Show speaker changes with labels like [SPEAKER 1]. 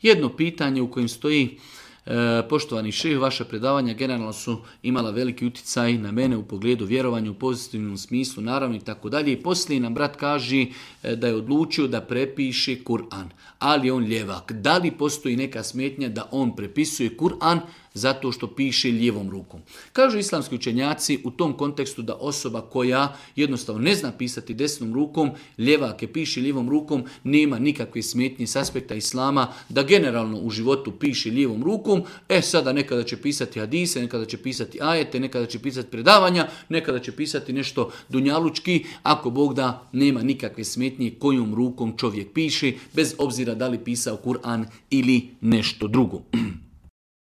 [SPEAKER 1] Jedno pitanje u kojem stoji: poštovani šejh, vaša predavanja generalno su imala veliki utjecaj na mene u pogledu vjerovanja u pozitivnom smislu, naravno i tako dalje. I poslije nam brat kaže da je odlučio da prepiše Kur'an, ali je on ljevak. Da li postoji neka smetnja da on prepisuje Kur'an zato što piše lijevom rukom? Kažu islamski učenjaci u tom kontekstu da osoba koja jednostavno ne zna pisati desnom rukom, ljevak je piše lijevom rukom, nema nikakve smetnje s aspekta islama da generalno u životu piše lijevom rukom. Sada nekada će pisati hadise, nekada će pisati ajete, nekada će pisati predavanja, nekada će pisati nešto dunjalučki, ako Bog da, nema nikakve smetnje kojom rukom čovjek piše, bez obzira da li pisao Kur'an ili nešto drugo.